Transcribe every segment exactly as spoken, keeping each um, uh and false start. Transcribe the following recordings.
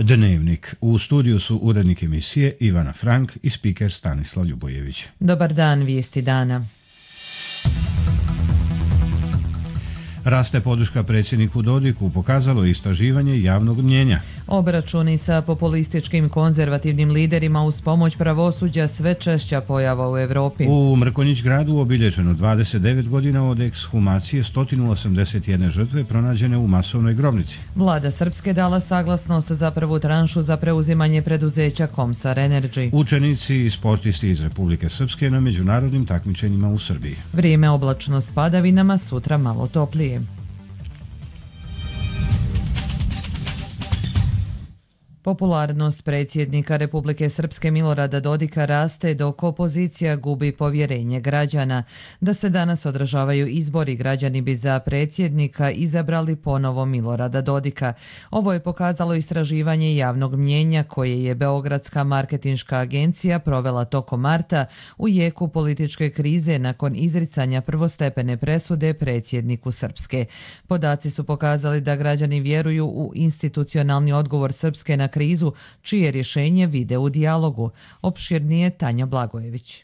Dnevnik. U studiju su urednik emisije Ivana Frank i spiker Stanislav Ljubojević. Dobar dan, vijesti dana. Raste podrška predsjedniku Dodiku, pokazalo je istraživanje javnog mnjenja. Obračuni sa populističkim konzervativnim liderima uz pomoć pravosuđa sve češća pojava u Europi. U Mrkonjić gradu obilježeno dvadeset devet godina od ekshumacije sto osamdeset jedne žrtve pronađene u masovnoj grobnici. Vlada Srpske dala saglasnost za prvu tranšu za preuzimanje preduzeća Komsar Energy. Učenici i sportisti iz Republike Srpske na međunarodnim takmičenjima u Srbiji. Vrijeme oblačno s padavinama, sutra malo toplije. Popularnost predsjednika Republike Srpske Milorada Dodika raste dok opozicija gubi povjerenje građana. Da se danas održavaju izbori, građani bi za predsjednika izabrali ponovo Milorada Dodika. Ovo je pokazalo istraživanje javnog mnjenja koje je Beogradska marketinška agencija provela tokom marta u jeku političke krize nakon izricanja prvostepene presude predsjedniku Srpske. Podaci su pokazali da građani vjeruju u institucionalni odgovor Srpske na krizu, čije rješenje vide u dijalogu. Opširnije Tanja Blagojević.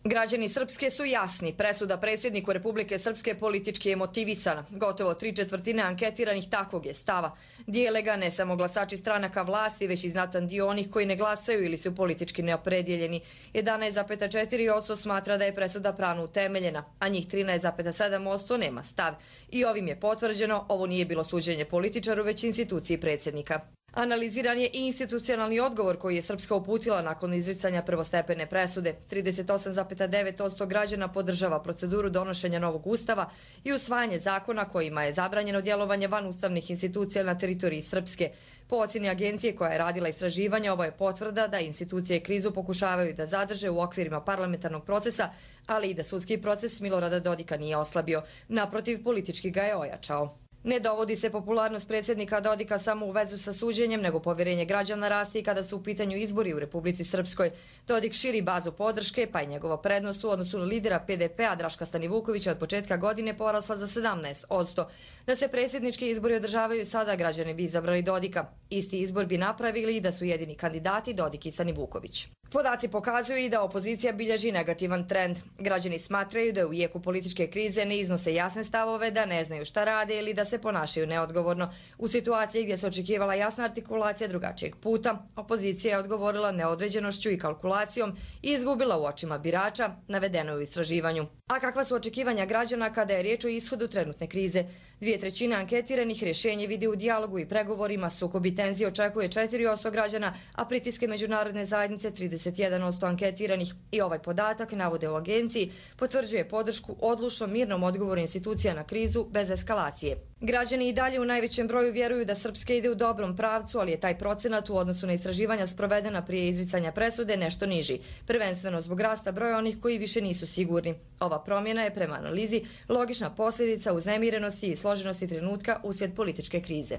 Građani Srpske su jasni. Presuda predsjedniku Republike Srpske politički je motivisana. Gotovo tri četvrtine anketiranih takvog je stava. Dijele ga ne samo glasači stranaka vlasti, već i znatan dio onih koji ne glasaju ili su politički neopredjeljeni. jedanaest zarez četiri posto smatra da je presuda pravno utemeljena, a njih trinaest zarez sedam posto nema stav. I ovim je potvrđeno, ovo nije bilo suđenje političaru, već instituciji predsjednika. Analiziran je i institucionalni odgovor koji je Srpska uputila nakon izricanja prvostepene presude. trideset osam zarez devet posto građana podržava proceduru donošenja novog ustava i usvajanje zakona kojima je zabranjeno djelovanje van ustavnih institucija na teritoriji Srpske. Po ocjeni agencije koja je radila istraživanje, ovo je potvrda da institucije krizu pokušavaju da zadrže u okvirima parlamentarnog procesa, ali i da sudski proces Milorada Dodika nije oslabio. Naprotiv, politički ga je ojačao. Ne dovodi se popularnost predsjednika Dodika samo u vezu sa suđenjem, nego povjerenje građana raste i kada su u pitanju izbori u Republici Srpskoj. Dodik širi bazu podrške, pa je njegova prednost u odnosu na lidera P D P-a Draška Stanivukovića od početka godine porasla za sedamnaest posto. Da se predsjednički izbori održavaju sada, građani bi izabrali Dodika. Isti izbor bi napravili i da su jedini kandidati Dodik i Stanivuković. Podaci pokazuju i da opozicija bilježi negativan trend. Građani smatraju da u jeku političke krize ne iznose jasne stavove, da ne znaju šta rade ili da se ponašaju neodgovorno. U situaciji gdje se očekivala jasna artikulacija drugačijeg puta, opozicija je odgovorila neodređenošću i kalkulacijom i izgubila u očima birača, navedeno je u istraživanju. A kakva su očekivanja građana kada je riječ o ishodu trenutne krize? Dvije trećine anketiranih rješenje vidi u dijalogu i pregovorima, sukob i tenzije očekuje četiri posto građana, a pritiske međunarodne zajednice trideset jedan posto anketiranih. I ovaj podatak, navode u agenciji, potvrđuje podršku odlučnom mirnom odgovoru institucija na krizu bez eskalacije. Građani i dalje u najvećem broju vjeruju da Srpska ide u dobrom pravcu, ali je taj procenat u odnosu na istraživanja sprovedena prije izricanja presude nešto niži, prvenstveno zbog rasta broja onih koji više nisu sigurni. Ova promjena je prema analizi logična posljedica uznemirenosti i složenosti trenutka uslijed političke krize.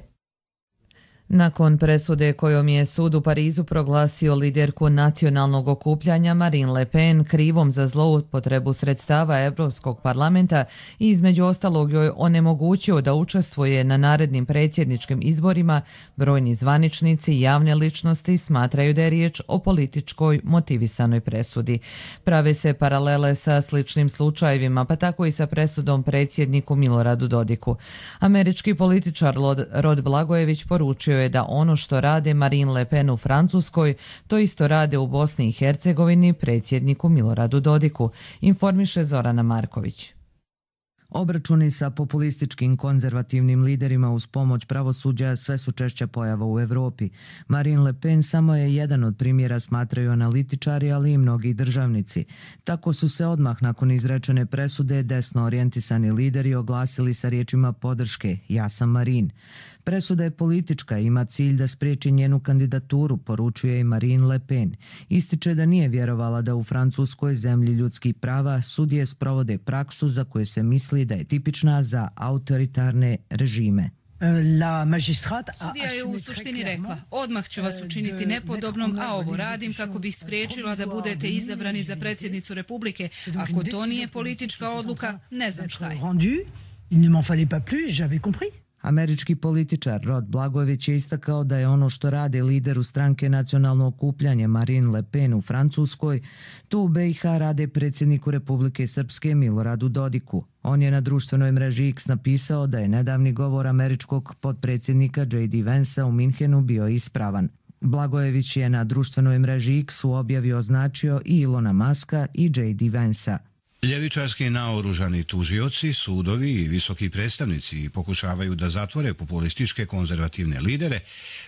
Nakon presude kojom je sud u Parizu proglasio liderku nacionalnog okupljanja Marine Le Pen krivom za zloupotrebu sredstava Europskog parlamenta i između ostalog joj onemogućio da učestvuje na narednim predsjedničkim izborima, brojni zvaničnici i javne ličnosti smatraju da je riječ o političkoj motivisanoj presudi. Prave se paralele sa sličnim slučajevima, pa tako i sa presudom predsjedniku Miloradu Dodiku. Američki političar Rod Blagojević poručio je da ono što rade Marine Le Pen u Francuskoj, to isto rade u Bosni i Hercegovini predsjedniku Miloradu Dodiku, informiše Zorana Marković. Obračuni sa populističkim konzervativnim liderima uz pomoć pravosuđa sve su češća pojava u Europi. Marine Le Pen samo je jedan od primjera, smatraju analitičari, ali i mnogi državnici. Tako su se odmah nakon izrečene presude desno orijentisani lideri oglasili sa riječima podrške "Ja sam Marine". Presuda je politička i ima cilj da spriječi njenu kandidaturu, poručuje i Marine Le Pen. Ističe da nije vjerovala da u Francuskoj, zemlji ljudskih prava, sudije sprovode praksu za koju se misli da je tipična za autoritarne režime. Sudija je u suštini rekla, odmah ću vas učiniti nepodobnom, a ovo radim kako bih spriječila da budete izabrani za predsjednicu Republike. Ako to nije politička odluka, ne znam šta je. Američki političar Rod Blagojevich je istakao da je ono što rade lideru stranke Nacionalno okupljanje Marine Le Pen u Francuskoj, tu u be i ha rade predsjedniku Republike Srpske Miloradu Dodiku. On je na društvenoj mreži X napisao da je nedavni govor američkog potpredsjednika džej di Vansa u Minhenu bio ispravan. Blagojevich je na društvenoj mreži X u objavi označio i Ilona Muska i džej di Vansa. Ljevičarski naoružani tužioci, sudovi i visoki predstavnici pokušavaju da zatvore populističke konzervativne lidere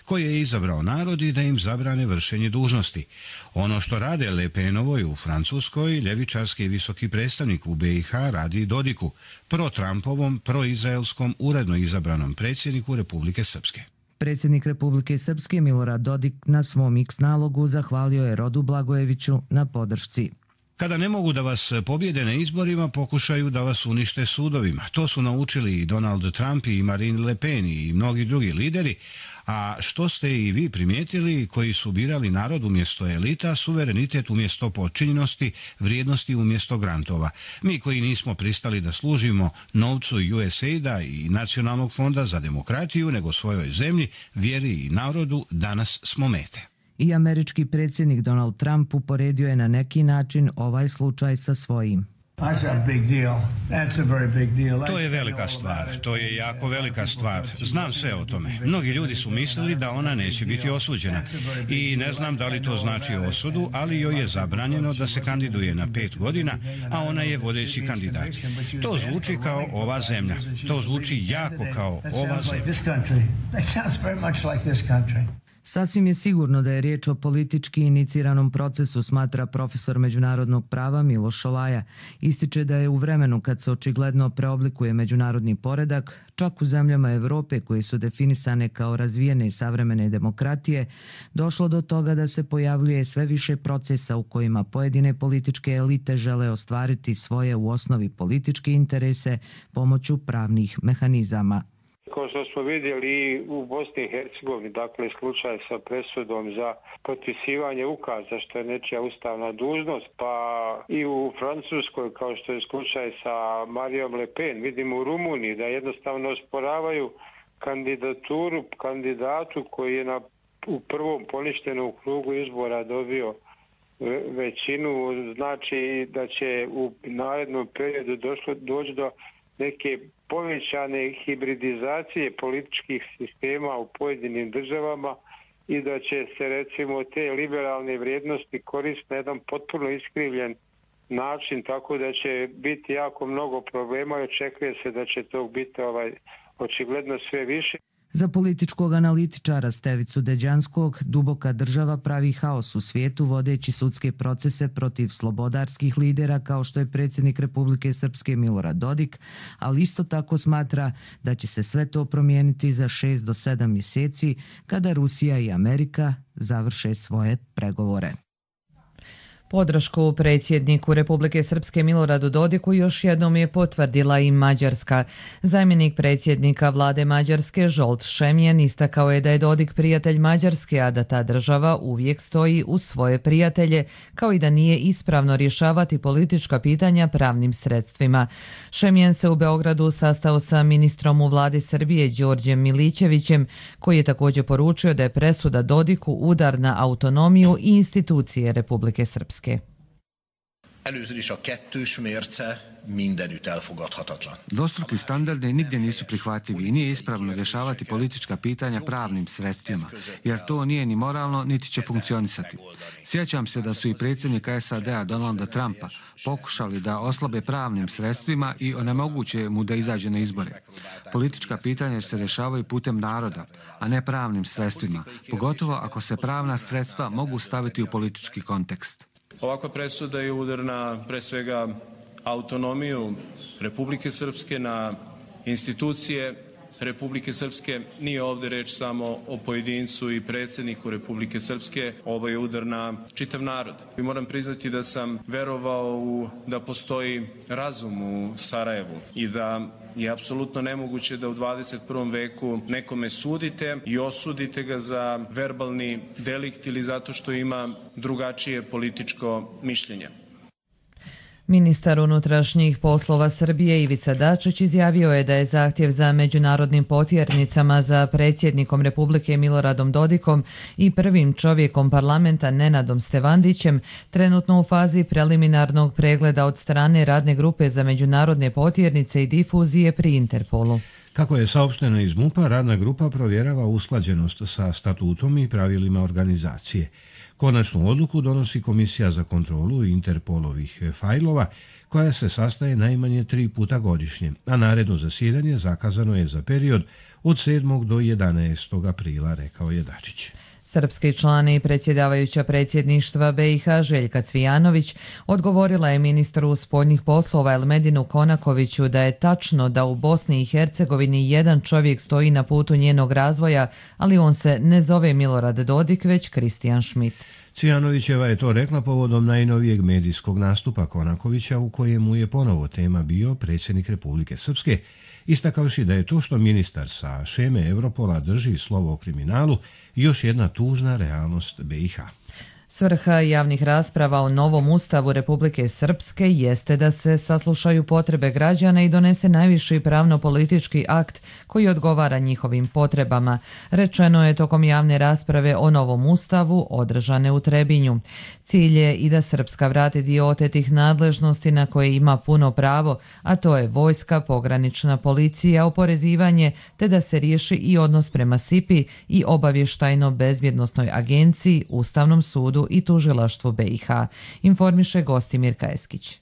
koje je izabrao narod i da im zabrane vršenje dužnosti. Ono što rade Le Penovoj u Francuskoj, ljevičarski visoki predstavnik u be i ha radi Dodiku, pro-Trumpovom, pro-izraelskom uredno izabranom predsjedniku Republike Srpske. Predsjednik Republike Srpske Milorad Dodik na svom X nalogu zahvalio je Rodu Blagojeviću na podršci. Kada ne mogu da vas pobjede na izborima, pokušaju da vas unište sudovima. To su naučili i Donald Trump i Marine Le Pen i mnogi drugi lideri, a što ste i vi primijetili, koji su birali narod umjesto elita, suverenitet umjesto podčinjenosti, vrijednosti umjesto grantova. Mi koji nismo pristali da služimo novcu U S A I D-a i Nacionalnog fonda za demokratiju, nego svojoj zemlji, vjeri i narodu, danas smo mete. I američki predsjednik Donald Trump uporedio je na neki način ovaj slučaj sa svojim. To je velika stvar, to je jako velika stvar. Znam sve o tome. Mnogi ljudi su mislili da ona neće biti osuđena. I ne znam da li to znači osudu, ali joj je zabranjeno da se kandiduje na pet godina, a ona je vodeći kandidat. To zvuči kao ova zemlja. To zvuči jako kao ova zemlja. Sasvim je sigurno da je riječ o politički iniciranom procesu, smatra profesor međunarodnog prava Miloš Šolaja. Ističe da je u vremenu kad se očigledno preoblikuje međunarodni poredak, čak u zemljama Europe koje su definisane kao razvijene i savremene demokratije, došlo do toga da se pojavljuje sve više procesa u kojima pojedine političke elite žele ostvariti svoje u osnovi političke interese pomoću pravnih mehanizama. Kao što smo vidjeli u Bosni i Hercegovini, dakle slučaj sa presudom za potpisivanje ukaza što je nečija ustavna dužnost, pa i u Francuskoj kao što je slučaj sa Marijom Le Pen, vidimo u Rumuniji da jednostavno osporavaju kandidaturu kandidatu koji je na, u prvom poništenom krugu izbora dobio većinu, znači da će u narednom periodu došlo, doći do neke povećane hibridizacije političkih sistema u pojedinim državama i da će se recimo te liberalne vrijednosti koristiti na jedan potpuno iskrivljen način, tako da će biti jako mnogo problema i očekuje se da će tog biti ovaj, očigledno sve više. Za političkog analitičara Stevicu Deđanskog, duboka država pravi haos u svijetu vodeći sudske procese protiv slobodarskih lidera kao što je predsjednik Republike Srpske Milorad Dodik, ali isto tako smatra da će se sve to promijeniti za šest do sedam mjeseci kada Rusija i Amerika završe svoje pregovore. Podršku predsjedniku Republike Srpske Miloradu Dodiku još jednom je potvrdila i Mađarska. Zamjenik predsjednika vlade Mađarske Zsolt Šemjen istakao je da je Dodik prijatelj Mađarske, a da ta država uvijek stoji uz svoje prijatelje, kao i da nije ispravno rješavati politička pitanja pravnim sredstvima. Šemjen se u Beogradu sastao sa ministrom u vladi Srbije Đorđem Milićevićem, koji je također poručio da je presuda Dodiku udar na autonomiju i institucije Republike Srpske. Először is a kettős mérce mindenütt elfogadhatatlan. Dvostruki standardi nigdje nisu prihvatljivi i nije ispravno rješavati politička pitanja pravnim sredstvima, jer to nije ni moralno, niti će funkcionisati. Sjećam se da su i predsjednika S A D-a Donalda Trumpa pokušali da oslabe pravnim sredstvima i onemoguće mu da izađe na izbore. Politička pitanja se rješavaju putem naroda, a ne pravnim sredstvima, pogotovo ako se pravna sredstva mogu staviti u politički kontekst. Ovakva presuda je udar na, pre svega, autonomiju Republike Srpske, na institucije Republike Srpske. Nije ovdje reč samo o pojedincu i predsjedniku Republike Srpske, ovo je udar na čitav narod. I moram priznati da sam verovao u, da postoji razum u Sarajevu i da je apsolutno nemoguće da u dvadeset prvom veku nekome sudite i osudite ga za verbalni delikt ili zato što ima drugačije političko mišljenje. Ministar unutrašnjih poslova Srbije Ivica Dačić izjavio je da je zahtjev za međunarodnim potjernicama za predsjednikom Republike Miloradom Dodikom i prvim čovjekom parlamenta Nenadom Stevandićem trenutno u fazi preliminarnog pregleda od strane Radne grupe za međunarodne potjernice i difuzije pri Interpolu. Kako je saopšteno iz MUP-a, radna grupa provjerava usklađenost sa statutom i pravilima organizacije. Konačnu odluku donosi Komisija za kontrolu Interpolovih fajlova, koja se sastaje najmanje tri puta godišnje, a naredno zasjedanje zakazano je za period od sedmog do jedanaestog aprila, rekao je Dačić. Srpski član i predsjedavajuća predsjedništva B i H Željka Cvijanović odgovorila je ministru spoljnih poslova Elmedinu Konakoviću da je tačno da u Bosni i Hercegovini jedan čovjek stoji na putu njenog razvoja, ali on se ne zove Milorad Dodik, već Kristijan Schmidt. Cvijanovićeva je to rekla povodom najnovijeg medijskog nastupa Konakovića u kojemu je ponovo tema bio predsjednik Republike Srpske, istakavši da je to što ministar sa šeme Europola drži slovo o kriminalu još jedna tužna realnost B i H. Svrha javnih rasprava o novom ustavu Republike Srpske jeste da se saslušaju potrebe građana i donese najviši pravno-politički akt koji odgovara njihovim potrebama, rečeno je tokom javne rasprave o novom ustavu održane u Trebinju. Cilj je i da Srpska vrati dio otetih nadležnosti na koje ima puno pravo, a to je vojska, pogranična policija, oporezivanje, te da se riješi i odnos prema S I P I i obavještajno-bezbjednosnoj agenciji, Ustavnom sudu i tužilaštvu B i H, informiše Gostimir Kajeskić.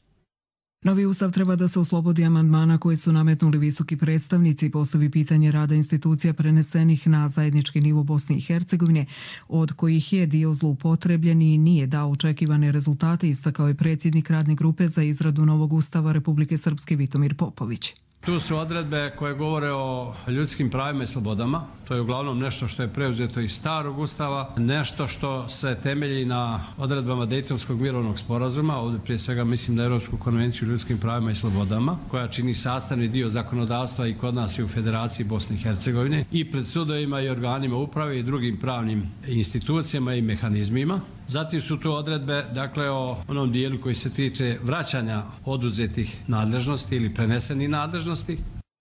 Novi ustav treba da se oslobodi amandmana koji su nametnuli visoki predstavnici i postavi pitanje rada institucija prenesenih na zajednički nivo Bosne i Hercegovine, od kojih je dio zloupotrebljen i nije dao očekivane rezultate, istakao je predsjednik Radne grupe za izradu novog ustava Republike Srpske Vitomir Popović. Tu su odredbe koje govore o ljudskim pravima i slobodama. To je uglavnom nešto što je preuzeto iz starog ustava, nešto što se temelji na odredbama Dejtonskog mirovnog sporazuma, ovdje prije svega mislim na Europsku konvenciju o ljudskim pravima i slobodama, koja čini sastavni dio zakonodavstva i kod nas i u Federaciji Bosne i Hercegovine, i pred sudovima i organima uprave i drugim pravnim institucijama i mehanizmima. Zatim su tu odredbe, dakle, o onom dijelu koji se tiče vraćanja oduzetih nadležnosti ili prenesenih nadležnosti.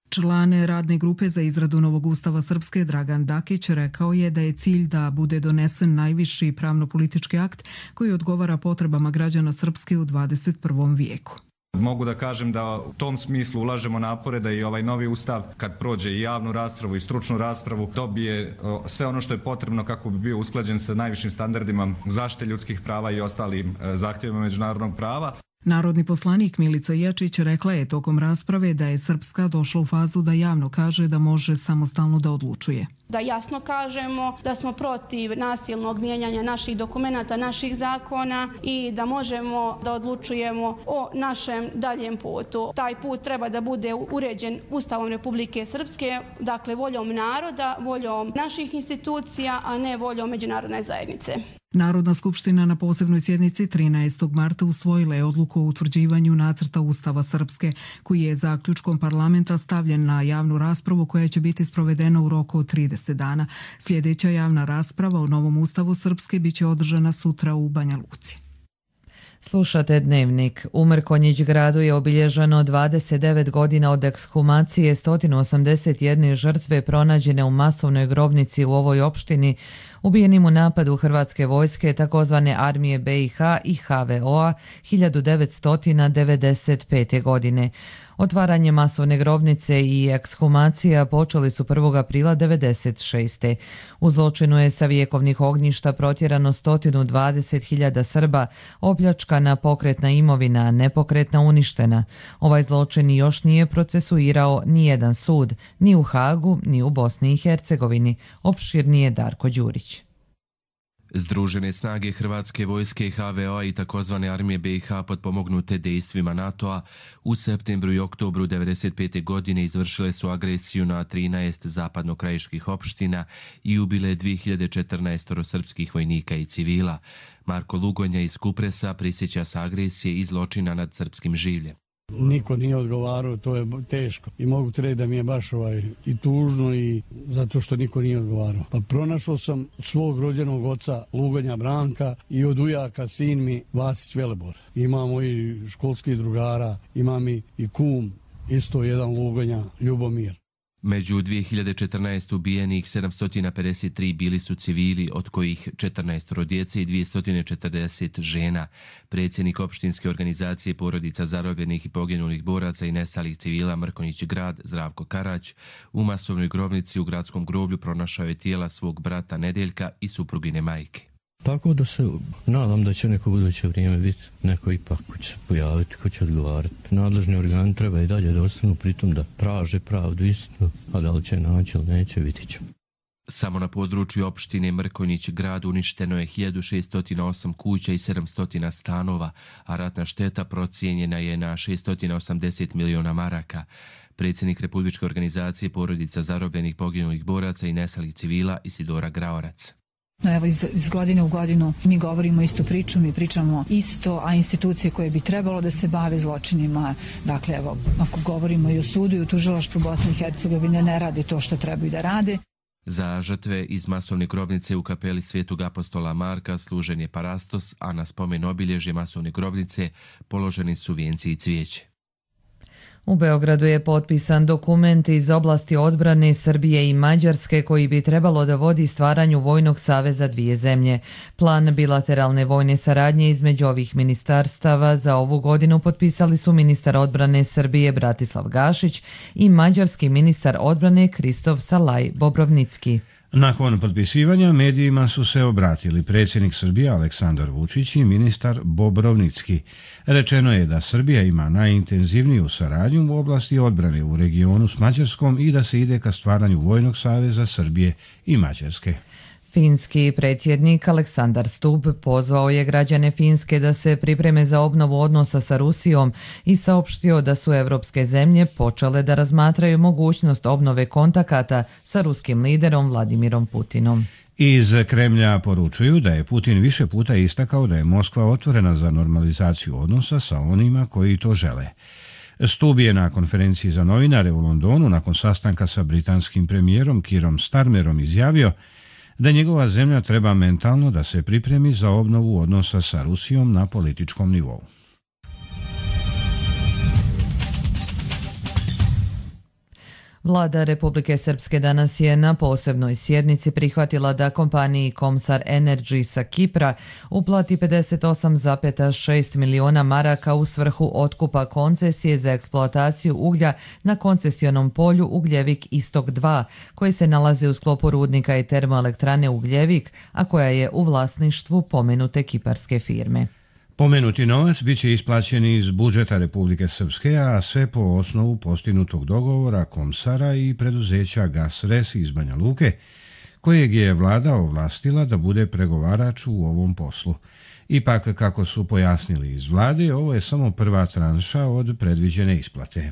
Član Radne grupe za izradu novog ustava Srpske Dragan Dakić rekao je da je cilj da bude donesen najviši pravno-politički akt koji odgovara potrebama građana Srpske u dvadeset prvom vijeku. Mogu da kažem da u tom smislu ulažemo napore da i ovaj novi ustav, kad prođe i javnu raspravu i stručnu raspravu, dobije sve ono što je potrebno kako bi bio usklađen sa najvišim standardima zaštite ljudskih prava i ostalim zahtjevima međunarodnog prava. Narodni poslanik Milica Jačić rekla je tokom rasprave da je Srpska došla u fazu da javno kaže da može samostalno da odlučuje. Da jasno kažemo da smo protiv nasilnog mijenjanja naših dokumenata, naših zakona i da možemo da odlučujemo o našem daljem putu. Taj put treba da bude uređen Ustavom Republike Srpske, dakle voljom naroda, voljom naših institucija, a ne voljom međunarodne zajednice. Narodna skupština na posebnoj sjednici trinaestog marta usvojila je odluku o utvrđivanju nacrta Ustava Srpske, koji je zaključkom parlamenta stavljen na javnu raspravu koja će biti sprovedena u roku od trideset dana. Sljedeća javna rasprava o novom Ustavu Srpske biće održana sutra u Banja Luci. Slušate Dnevnik. U Mrkonjić gradu je obilježeno dvadeset devet godina od ekshumacije sto osamdeset jedne žrtve pronađene u masovnoj grobnici u ovoj opštini, ubijenim u napadu Hrvatske vojske, takozvane armije B i H i H V O-a hiljadu devetsto devedeset pete. godine. Otvaranje masovne grobnice i ekshumacija počeli su prvog aprila devedeset šeste. U zločinu je sa vjekovnih ognjišta protjerano sto dvadeset hiljada Srba, opljačkana pokretna imovina, nepokretna uništena. Ovaj zločin još nije procesuirao ni jedan sud, ni u Hagu, ni u Bosni i Hercegovini. Opširnije Darko Đurić. Združene snage Hrvatske vojske, H V O-a i takozvane armije B i H potpomognute dejstvima NATO-a u septembru i oktobru devedeset pete. godine izvršile su agresiju na trinaest zapadnokrajiških opština i ubile dvije hiljade četrnaest srpskih vojnika i civila. Marko Lugonja iz Kupresa prisjeća se agresije i zločina nad srpskim življem. Niko nije odgovarao, to je teško. I mogu ti reći da mi je baš ovaj i tužno i zato što niko nije odgovarao. Pa pronašao sam svog rođenog oca Lugonja Branka i od ujaka sin mi Vasić Velebor. Imamo i školskih drugara, imam i, i kum, isto jedan Lugonja, Ljubomir. Među dvije hiljade četrnaeste ubijenih sedamsto pedeset tri bili su civili, od kojih četrnaest djece i dvjesto četrdeset žena. Predsjednik opštinske organizacije porodica zarobljenih i poginulih boraca i nestalih civila Mrkonjić Grad, Zdravko Karać, u masovnoj grobnici u gradskom groblju pronašao je tijela svog brata Nedeljka i suprugine majke. Tako da se nadam da će neko buduće vrijeme biti neko ipak ko će se pojaviti, ko će odgovarati. Nadležni organi treba i dalje da ostanu pritom da traže pravdu istinu, a da li će naći ili neće, vidit ćemo. Samo na području opštine Mrkonjić Grad uništeno je hiljadu šeststo osam kuća i sedamsto stanova, a ratna šteta procijenjena je na šeststo osamdeset miliona maraka. Predsjednik Republičke organizacije porodica zarobljenih poginulih boraca i nestalih civila Isidora Graorac. No evo, iz, iz godine u godinu mi govorimo istu priču, mi pričamo isto, a institucije koje bi trebalo da se bave zločinima, dakle evo, ako govorimo i o sudu i o tužilaštvu Bosne i Hercegovine, ne radi to što trebaju da rade. Za žrtve iz masovne grobnice u kapeli Svetog apostola Marka služen je parastos, a na spomen obilježje masovne grobnice položeni su vijenci i cvijeće. U Beogradu je potpisan dokument iz oblasti odbrane Srbije i Mađarske koji bi trebalo da vodi stvaranju vojnog saveza dvije zemlje. Plan bilateralne vojne saradnje između ovih ministarstava za ovu godinu potpisali su ministar odbrane Srbije Bratislav Gašić i mađarski ministar odbrane Kristof Salaj Bobrovnicki. Nakon potpisivanja medijima su se obratili predsjednik Srbije Aleksandar Vučić i ministar Bobrovnicki. Rečeno je da Srbija ima najintenzivniju saradnju u oblasti odbrane u regionu s Mađarskom i da se ide ka stvaranju vojnog saveza Srbije i Mađarske. Finski predsjednik Aleksandar Stubb pozvao je građane Finske da se pripreme za obnovu odnosa sa Rusijom i saopštio da su evropske zemlje počele da razmatraju mogućnost obnove kontakata sa ruskim liderom Vladimirom Putinom. Iz Kremlja poručuju da je Putin više puta istakao da je Moskva otvorena za normalizaciju odnosa sa onima koji to žele. Stubb je na konferenciji za novinare u Londonu nakon sastanka sa britanskim premijerom Keerom Starmerom izjavio da njegova zemlja treba mentalno da se pripremi za obnovu odnosa sa Rusijom na političkom nivou. Vlada Republike Srpske danas je na posebnoj sjednici prihvatila da kompaniji Komsar Energy sa Kipra uplati pedeset osam zarez šest miliona maraka u svrhu otkupa koncesije za eksploataciju uglja na koncesionom polju Ugljevik Istok dva, koji se nalazi u sklopu rudnika i termoelektrane Ugljevik, a koja je u vlasništvu pomenute kiparske firme. Pomenuti novac bit će isplaćen iz budžeta Republike Srpske, a sve po osnovu postignutog dogovora Komsara i preduzeća Gasres iz Banja Luke, kojeg je vlada ovlastila da bude pregovarač u ovom poslu. Ipak, kako su pojasnili iz vlade, ovo je samo prva tranša od predviđene isplate.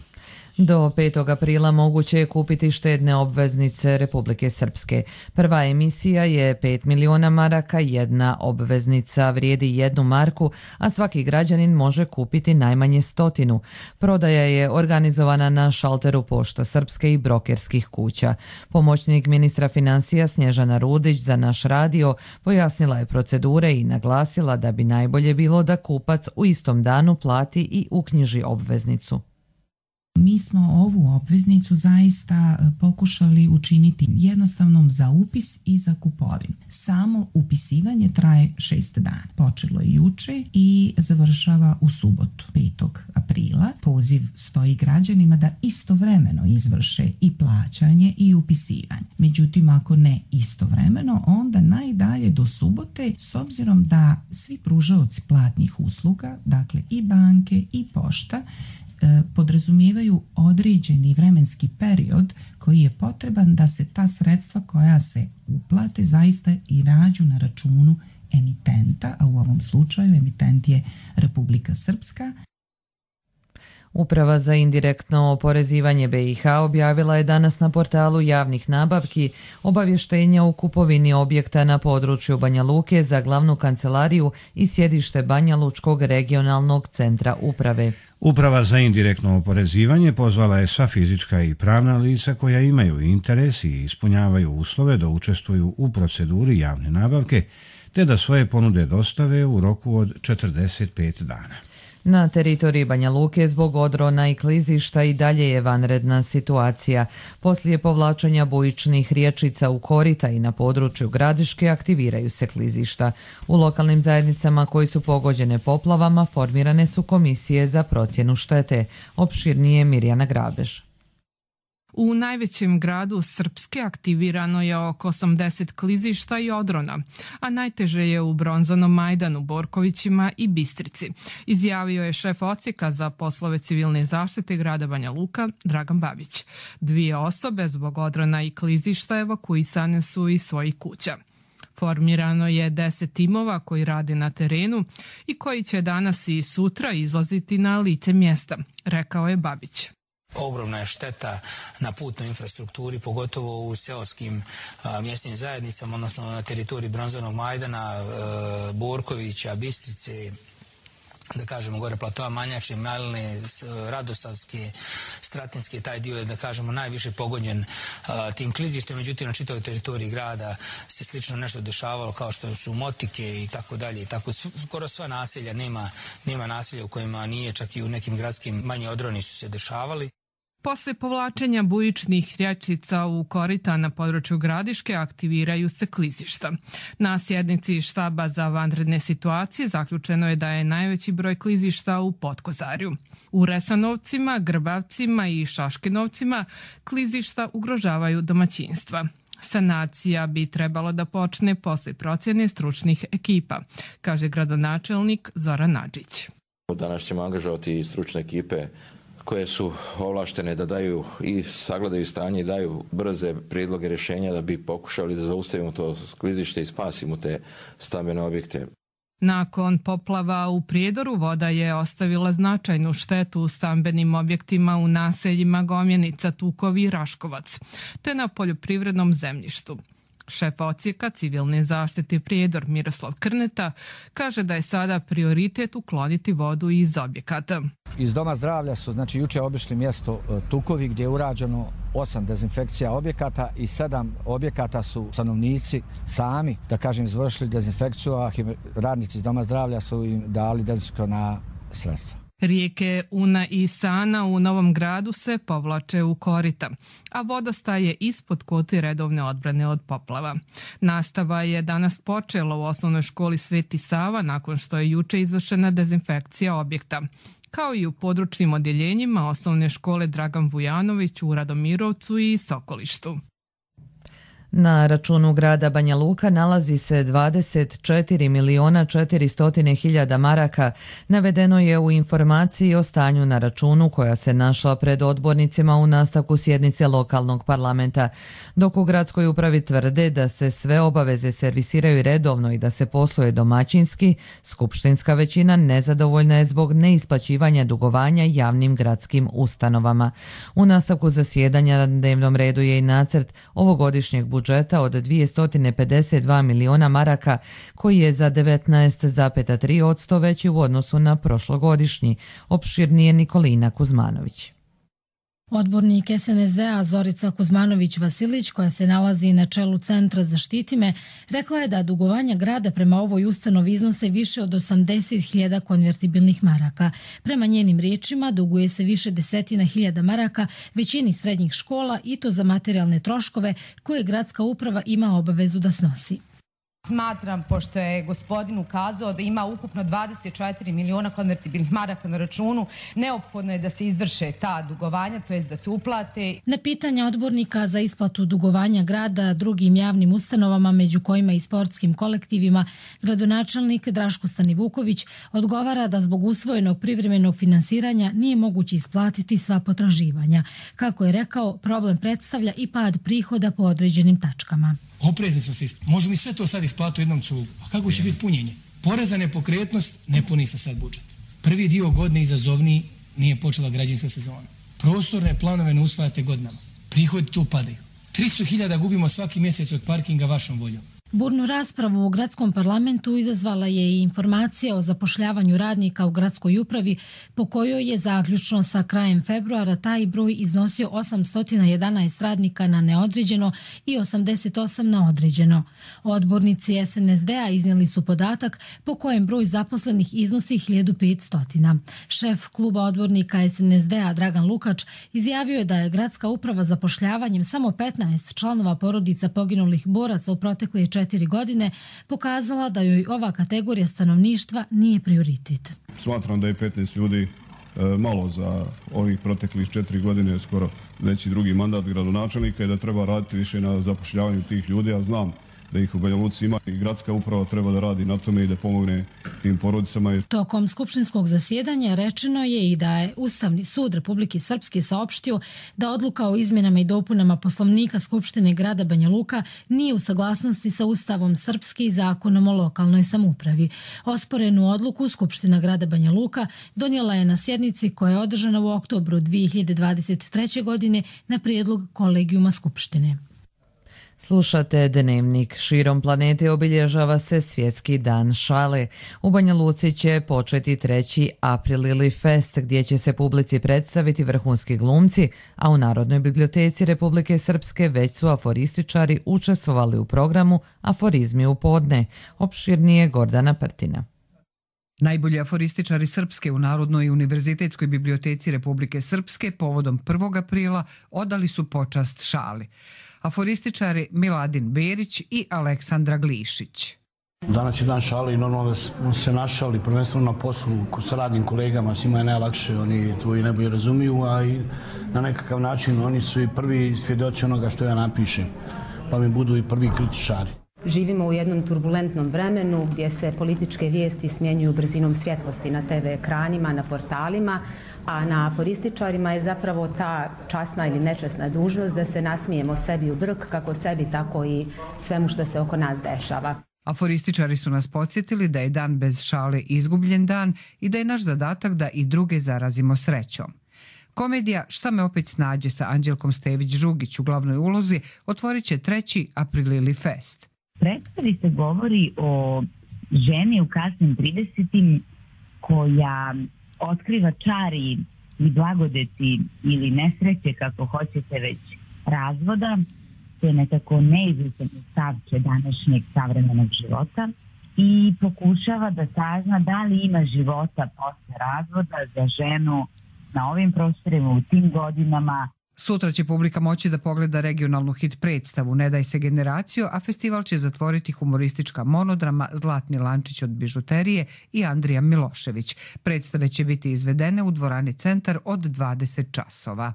Do petog aprila moguće je kupiti štedne obveznice Republike Srpske. Prva emisija je pet miliona maraka, jedna obveznica vrijedi jednu marku, a svaki građanin može kupiti najmanje stotinu. Prodaja je organizovana na šalteru Pošta Srpske i brokerskih kuća. Pomoćnik ministra financija Snježana Rudić za Naš radio pojasnila je procedure i naglasila da bi najbolje bilo da kupac u istom danu plati i uknjiži obveznicu. Mi smo ovu obveznicu zaista pokušali učiniti jednostavnom za upis i za kupovinu. Samo upisivanje traje šest dana. Počelo je juče i završava u subotu, petog aprila. Poziv stoji građanima da istovremeno izvrše i plaćanje i upisivanje. Međutim, ako ne istovremeno, onda najdalje do subote, s obzirom da svi pružaoci platnih usluga, dakle i banke i pošta, podrazumijevaju određeni vremenski period koji je potreban da se ta sredstva koja se uplate zaista i nađu na računu emitenta, a u ovom slučaju emitent je Republika Srpska. Uprava za indirektno oporezivanje B i H objavila je danas na portalu javnih nabavki obavještenja o kupovini objekta na području Banja Luke za glavnu kancelariju i sjedište Banja Lučkog regionalnog centra uprave. Uprava za indirektno oporezivanje pozvala je sva fizička i pravna lica koja imaju interes i ispunjavaju uslove da učestvuju u proceduri javne nabavke, te da svoje ponude dostave u roku od četrdeset pet dana. Na teritoriji Banja Luke zbog odrona i klizišta i dalje je vanredna situacija. Poslije povlačenja bujičnih rječica u korita i na području Gradiške aktiviraju se klizišta. U lokalnim zajednicama koji su pogođene poplavama formirane su komisije za procjenu štete. Opširnije Mirjana Grabež. U najvećem gradu Srpske aktivirano je oko osamdeset klizišta i odrona, a najteže je u Bronzanom Majdanu, Borkovićima i Bistrici, izjavio je šef odsjeka za poslove civilne zaštite grada Banja Luka, Dragan Babić. Dvije osobe zbog odrona i klizišta evakuisane su iz svojih kuća. Formirano je deset timova koji rade na terenu i koji će danas i sutra izlaziti na lice mjesta, rekao je Babić. Ogromna je šteta na putnoj infrastrukturi, pogotovo u seoskim a, mjesnim zajednicama, odnosno na teritoriji Bronzanog Majdana, e, Borkovića, Bistrice, da kažemo gore platoa Manjače, Maline, Radosavske, Stratinske, taj dio je, da kažemo, najviše pogođen a, tim klizištem. Međutim, na čitavoj teritoriji grada se slično nešto dešavalo, kao što su Motike i tako dalje. I tako, skoro sva naselja, nema, nema naselja u kojima nije, čak i u nekim gradskim manje odroni su se dešavali. Posle povlačenja bujičnih rječica u korita na području Gradiške aktiviraju se klizišta. Na sjednici štaba za vanredne situacije zaključeno je da je najveći broj klizišta u Potkozarju. U Resanovcima, Grbavcima i Šaškinovcima klizišta ugrožavaju domaćinstva. Sanacija bi trebalo da počne posle procjene stručnih ekipa, kaže gradonačelnik Zoran Nadžić. Danas ćemo angažovati i stručne ekipe koje su ovlaštene da daju i sagledaju stanje i daju brze prijedloge rješenja da bi pokušali da zaustavimo to klizište i spasimo te stambene objekte. Nakon poplava u Prijedoru voda je ostavila značajnu štetu u stambenim objektima u naseljima Gomjenica, Tukovi i Raškovac, te na poljoprivrednom zemljištu. Šef odsjeka civilne zaštite Prijedor Miroslav Krneta kaže da je sada prioritet ukloniti vodu iz objekata. Iz Doma zdravlja su znači juče obišli mjesto Tukovi gdje je urađeno osam dezinfekcija objekata i sedam objekata su stanovnici sami, da kažem, izvršili dezinfekciju, a radnici iz Doma zdravlja su im dali dezinfekcijona sredstva. Rijeke Una i Sana u Novom Gradu se povlače u korita, a vodostaj je ispod kote redovne odbrane od poplava. Nastava je danas počela u osnovnoj školi Sveti Sava nakon što je juče izvršena dezinfekcija objekta, kao i u područnim odjeljenjima osnovne škole Dragan Vujanović u Radomirovcu i Sokolištu. Na računu grada Banja Luka nalazi se dvadeset četiri miliona četiristo hiljada maraka, navedeno je u informaciji o stanju na računu koja se našla pred odbornicima u nastavku sjednice lokalnog parlamenta. Dok u gradskoj upravi tvrde da se sve obaveze servisiraju redovno i da se posluje domaćinski, skupštinska većina nezadovoljna je zbog neisplaćivanja dugovanja javnim gradskim ustanovama. U nastavku zasjedanja na dnevnom redu je i nacrt ovogodišnjeg budžeta budžeta od dvjesto pedeset dva miliona maraka, koji je za devetnaest zarez tri posto veći u odnosu na prošlogodišnji. Opširnije Nikolina Kuzmanović. Odbornik es en es de-a Zorica Kuzmanović-Vasilić, koja se nalazi na čelu Centra Zaštiti me, rekla je da dugovanja grada prema ovoj ustanovi iznose više od osamdeset hiljada konvertibilnih maraka. Prema njenim riječima duguje se više desetina hiljada maraka većini srednjih škola i to za materijalne troškove koje gradska uprava ima obavezu da snosi. Smatram, pošto je gospodin ukazao da ima ukupno dvadeset četiri miliona konvertibilnih maraka na računu, neophodno je da se izvrše ta dugovanja, to jest da se uplate. Na pitanja odbornika za isplatu dugovanja grada drugim javnim ustanovama, među kojima i sportskim kolektivima, gradonačelnik Draško Stanivuković odgovara da zbog usvojenog privremenog finansiranja nije moguće isplatiti sva potraživanja. Kako je rekao, problem predstavlja i pad prihoda po određenim tačkama. Oprezni su se, možemo li sve to sad isplati u jednom cugu? A kako će biti punjenje? Porez za nepokretnost ne puni se sad budžet. Prvi dio godine izazovniji nije počela građevinska sezona. Prostorne planove ne usvajate godinama. Prihodi tu padaju. tristo hiljada gubimo svaki mjesec od parkinga vašom voljom. Burnu raspravu u gradskom parlamentu izazvala je i informacija o zapošljavanju radnika u gradskoj upravi, po kojoj je zaključno sa krajem februara taj broj iznosio osamsto jedanaest radnika na neodređeno i osamdeset osam na određeno. Odbornici es en es de a iznijeli su podatak po kojem broj zaposlenih iznosi hiljadu petsto. Šef kluba odbornika es en es de a Dragan Lukač izjavio je da je gradska uprava zapošljavanjem samo petnaest članova porodica poginulih boraca u protekle četiri godine pokazala da joj ova kategorija stanovništva nije prioritet. Smatram da je petnaest ljudi malo za ovih proteklih četiri godine, skoro već i drugi mandat gradonačelnika, i da treba raditi više na zapošljavanju tih ljudi, a znam da ih u Banja Luci ima i gradska uprava treba da radi na tome i da pomogne tim porodicama. Tokom skupštinskog zasjedanja rečeno je i da je Ustavni sud Republike Srpske saopštio da odluka o izmjenama i dopunama Poslovnika Skupštine grada Banja Luka nije u saglasnosti sa Ustavom Srpske i Zakonom o lokalnoj samoupravi. Osporenu odluku Skupština grada Banja Luka donijela je na sjednici koja je održana u oktobru dvije hiljade dvadeset treće. godine na prijedlog kolegijuma Skupštine. Slušate Dnevnik. Širom planete obilježava se Svjetski dan šale. U Banja Luci će početi treći Aprilili fest, gdje će se publici predstaviti vrhunski glumci, a u Narodnoj biblioteci Republike Srpske već su aforističari učestvovali u programu Aforizmi u podne. Opširnije Gordana Prtina. Najbolji aforističari Srpske u Narodnoj i univerzitetskoj biblioteci Republike Srpske povodom prvog aprila odali su počast šali. Aforističari Miladin Berić i Aleksandra Glišić. Danas je dan šale i normalno da smo se našali prvenstveno na poslu sa radnim kolegama, svima je najlakše, oni tvoji najbolje razumiju, a i na nekakav način oni su i prvi svjedoci onoga što ja napišem, pa mi budu i prvi kritičari. Živimo u jednom turbulentnom vremenu gdje se političke vijesti smjenjuju brzinom svjetlosti na te ve ekranima, na portalima, a na aforističarima je zapravo ta časna ili nečasna dužnost da se nasmijemo sebi u brk, kako sebi, tako i svemu što se oko nas dešava. Aforističari su nas podsjetili da je dan bez šale izgubljen dan i da je naš zadatak da i druge zarazimo srećom. Komedija Šta me opet snađe sa Anđelkom Stević-Žugić u glavnoj ulozi otvorit će treći Aprilili fest. Predstavi se govori o ženi u kasnim tridesetim koja otkriva čari i blagodeti ili nesreće, kako hoćete već, razvoda. To je nekako neizvjesno stavče današnjeg savremenog života i pokušava da sazna da li ima života posle razvoda za ženu na ovim prostorima u tim godinama. Sutra će publika moći da pogleda regionalnu hit predstavu Ne daj se generaciju, a festival će zatvoriti humoristička monodrama Zlatni lančić od bižuterije i Andrija Milošević. Predstave će biti izvedene u dvorani Centar od dvadeset časova.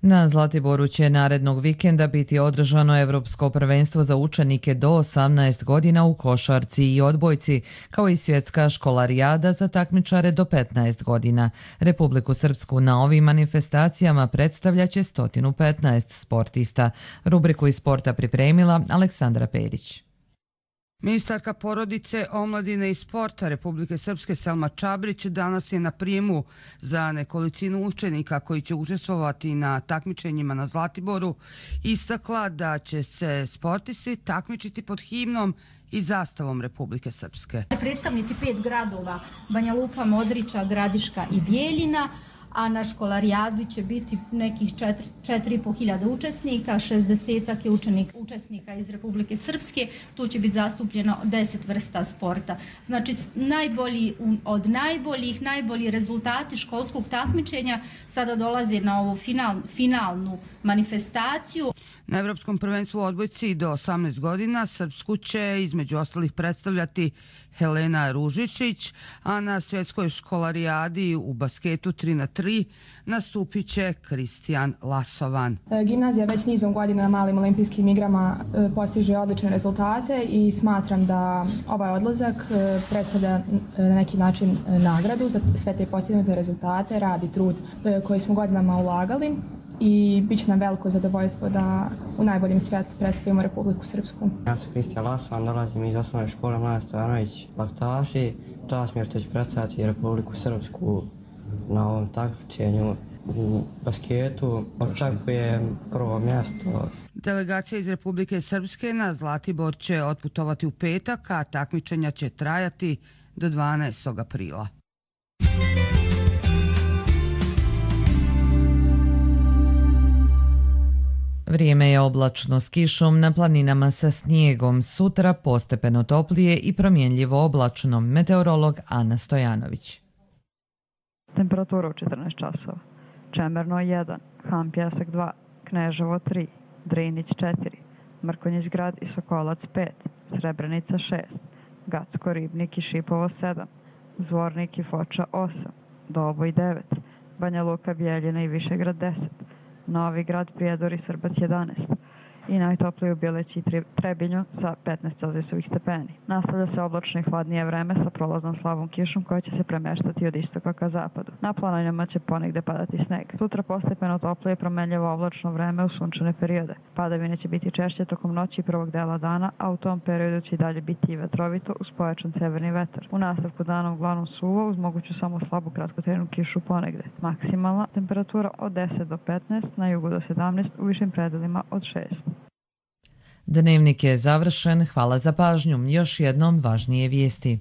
Na Zlatiboru će narednog vikenda biti održano Evropsko prvenstvo za učenike do osamnaest godina u košarci i odbojci, kao i svjetska školarijada za takmičare do petnaest godina. Republiku Srpsku na ovim manifestacijama predstavljaće sto petnaest sportista. Rubriku iz sporta pripremila Aleksandra Perić. Ministarka porodice, omladine i sporta Republike Srpske Selma Čabrić danas je na prijemu za nekolicinu učenika koji će učestvovati na takmičenjima na Zlatiboru istakla da će se sportisti takmičiti pod himnom i zastavom Republike Srpske. Predstavnici pet gradova, Banja Luka, Modriča, Gradiška i Bijeljina, a na školarijadi će biti nekih četiri i po hiljada učesnika, šezdesetak je učenik, učesnika iz Republike Srpske, tu će biti zastupljeno deset vrsta sporta. Znači, najbolji, od najboljih, najbolji rezultati školskog takmičenja sada dolaze na ovu final, finalnu manifestaciju. Na Evropskom prvenstvu odbojci do osamnaest godina Srpsku će između ostalih predstavljati Helena Ružičić, a na svjetskoj školarijadi u basketu tri na tri nastupit će Kristijan Lasovan. Gimnazija već nizom godina na malim olimpijskim igrama postiže odlične rezultate i smatram da ovaj odlazak predstavlja na neki način nagradu za sve te postignute rezultate, rad i trud koji smo godinama ulagali. i bit će nam veliko zadovoljstvo da u najboljem svijetu predstavimo Republiku Srpsku. Ja sam Kristijan Lasman, dolazim iz osnovne škole Mladen Stojanović Laktaši. Čast mi je što ću predstaviti Republiku Srpsku na ovom takmičenju. U basketu očekujem prvo mjesto. Delegacija iz Republike Srpske na Zlatibor će otputovati u petak, a takmičenja će trajati do dvanaestog aprila. Vrijeme je oblačno s kišom, na planinama sa snijegom, sutra postepeno toplije i promjenljivo oblačno. Meteorolog Ana Stojanović. Temperatura u četrnaest časova. Čemerno jedan, Han Pjesak dva, Kneževo tri, Drinić četiri, Mrkonjić grad i Sokolac pet, Srebrenica šest, Gacko, Ribnik i Šipovo sedam, Zvornik i Foča osam, Doboj devet, Banja Luka, Bijeljina i Višegrad deset, Novi grad, Prijedor i Srbac jedanaest i najtoplije u Bjeleći i Trebinju sa petnaest celzijusovih stepeni. Nastavlja se oblačno i hladnije vreme sa prolaznom slabom kišom koja će se premeštati od istoka ka zapadu. Na planinama će ponegde padati sneg. Sutra postepeno toplije i promenljivo oblačno vreme u sunčane periode. Padavine će biti češće tokom noći i prvog dela dana, a u tom periodu će i dalje biti i vetrovito uz pojačan severni vetar. U nastavku dana uglavnom suvo uz moguću samo slabu kratkotrajnu kišu ponegde. Maksimalna temperatura od deset do petnaest, na jugu do sedamnaest, u višim predelima od šest. Dnevnik je završen, hvala za pažnju. Još jednom važnije vijesti.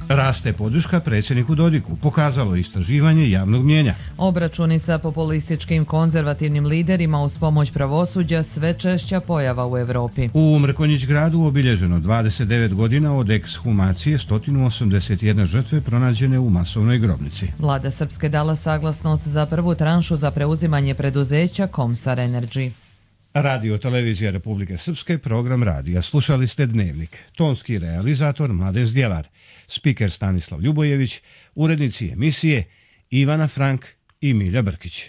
Raste podrška predsjedniku Dodiku, pokazalo istraživanje javnog mnijenja. Obračuni sa populističkim konzervativnim liderima uz pomoć pravosuđa sve češća pojava u Evropi. U Mrkonjić gradu obilježeno dvadeset devet godina od ekshumacije sto osamdeset jedna žrtve pronađene u masovnoj grobnici. Vlada Srpske dala saglasnost za prvu tranšu za preuzimanje preduzeća Komsar Energy. Radio Televizija Republike Srpske, program radija. Slušali ste Dnevnik. Tonski realizator Mladen Zdjelar, spiker Stanislav Ljubojević, urednici emisije Ivana Frank i Milja Brkić.